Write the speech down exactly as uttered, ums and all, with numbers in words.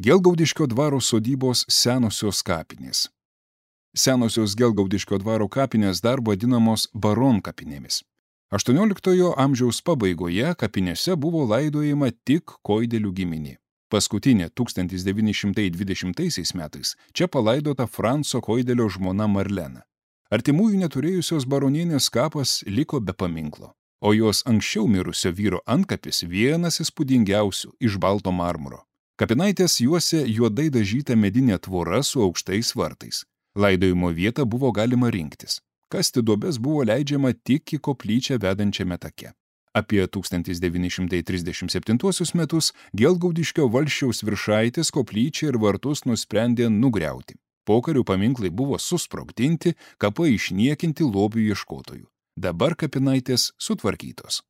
Gelgaudiškio dvaro sodybos senosios kapinės. Senosios Gelgaudiškio dvaro kapinės dar vadinamos baronkapinėmis. aštuonioliktojo amžiaus pabaigoje kapinėse buvo laidojama tik Koidelių giminė. Paskutinė tūkstantis devyni šimtai dvidešimtaisiais metais čia palaidota Franco Koidelio žmona Marlena. Artimųjų neturėjusios baronienės kapas liko be paminklo, o jos anksčiau mirusio vyro antkapis vienas įspūdingiausių iš balto marmuro. Kapinaitės juose juodai dažyta medinė tvora su aukštais vartais. Laidojimo vietą buvo galima rinktis. Kasti duobes buvo leidžiama tik į koplyčią vedančiame take. Apie tūkstantis devyni šimtai trisdešimt septintuosius metus Gelgaudiškio valsčiaus viršaitės koplyčią ir vartus nusprendė nugriauti. Pokarių paminklai buvo susprogdinti, kapai išniekinti lobių ieškotojų. Dabar kapinaitės sutvarkytos.